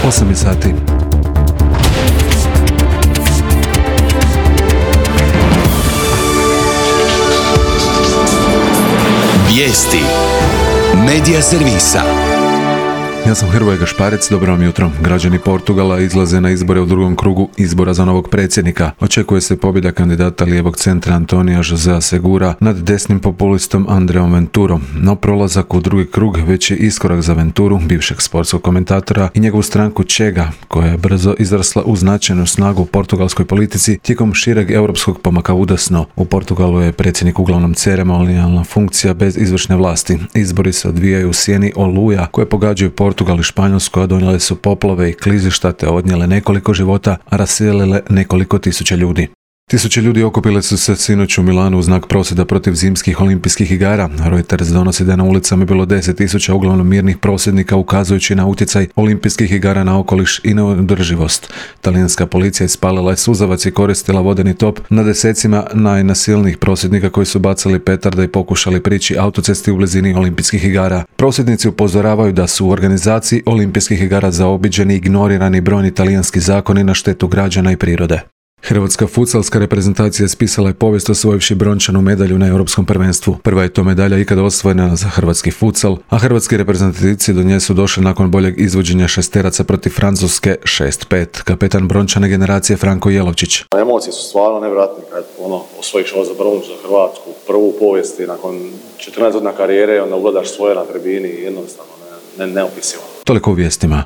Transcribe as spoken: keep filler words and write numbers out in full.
osam je sati. Vijesti Medija servisa. Ja sam Hrvoje Gašparec, dobro vam jutro. Građani Portugala izlaze na izbore u drugom krugu izbora za novog predsjednika. Očekuje se pobjeda kandidata lijevog centra Antonija Josea Segura nad desnim populistom Andreom Venturom. No prolazak u drugi krug već je iskorak za Venturu, bivšeg sportskog komentatora, i njegovu stranku Chega, koja je brzo izrasla u značajnu snagu u portugalskoj politici tijekom šireg europskog pomaka udasno. U Portugalu je predsjednik uglavnom ceremonijalna funkcija bez izvršne vlasti. Izbori se odvijaju u sjeni oluja koje pogađaju Portugal Portugal i Španjolsku, a donijele su poplave i klizišta te odnijele nekoliko života, a raselile nekoliko tisuća ljudi. Tisuće ljudi okupile su se sinoć u Milanu u znak prosvjeda protiv zimskih olimpijskih igara. Reuters donosi da je na ulicama bilo deset tisuća uglavnom mirnih prosvjednika ukazujući na utjecaj olimpijskih igara na okoliš i na održivost. Talijanska policija ispalila je suzavac i koristila vodeni top na desecima najnasilnijih prosvjednika koji su bacali petarde i pokušali prići autocesti u blizini olimpijskih igara. Prosvjednici upozoravaju da su u organizaciji olimpijskih igara zaobiđeni i ignorirani brojni talijanski zakoni na štetu građana i prirode. Hrvatska futsalska reprezentacija spisala je povijest osvojivši brončanu medalju na europskom prvenstvu. Prva je to medalja ikada osvojena za hrvatski futsal, a hrvatski reprezentativci do nje su došli nakon boljeg izvođenja šesteraca protiv Francuske šest pet. Kapetan brončane generacije Franko Jelovčić. Emocije su stvarno nevjerojatne kad ono, osvojiš ovo za bronču za Hrvatsku, prvu u povijesti nakon četrnaest godina karijere, onda ugledaš svoje na tribini i jednostavno ne, ne, neopisivo. Toliko u vijestima.